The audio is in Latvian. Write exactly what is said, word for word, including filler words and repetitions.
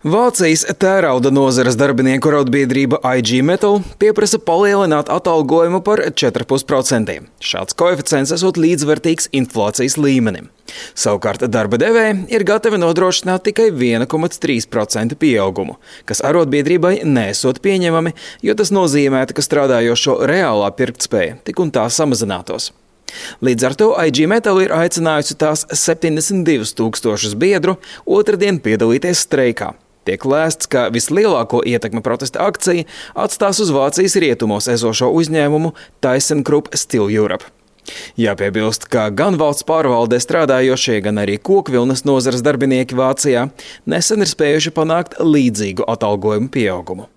Vācijas tērauda nozares darbinieku arotbiedrība I G Metall pieprasa palielināt atalgojumu par četri komats pieci procenti. Šāds koeficients esot līdzvērtīgs inflācijas līmenim. Savukārt darba devēji ir gatavi nodrošināt tikai viena komats trīs procenti pieaugumu, kas arotbiedrībai nesot pieņemami, jo tas nozīmētu, ka strādājošo reālā pirktspēja tik un tā samazinātos. Līdz ar to I G Metall ir aicinājusi tās septiņdesmit divus tūkstošus biedru otrdien piedalīties streikā. Tiek lēsts, ka vislielāko ietekmi protesta akcija atstās uz Vācijas rietumos esošo uzņēmumu ThyssenKrupp Steel Europe. Jāpiebilst, ka gan valsts pārvaldē strādājošie, gan arī kokvilnas nozares darbinieki Vācijā nesen ir spējuši panākt līdzīgu atalgojumu pieaugumu.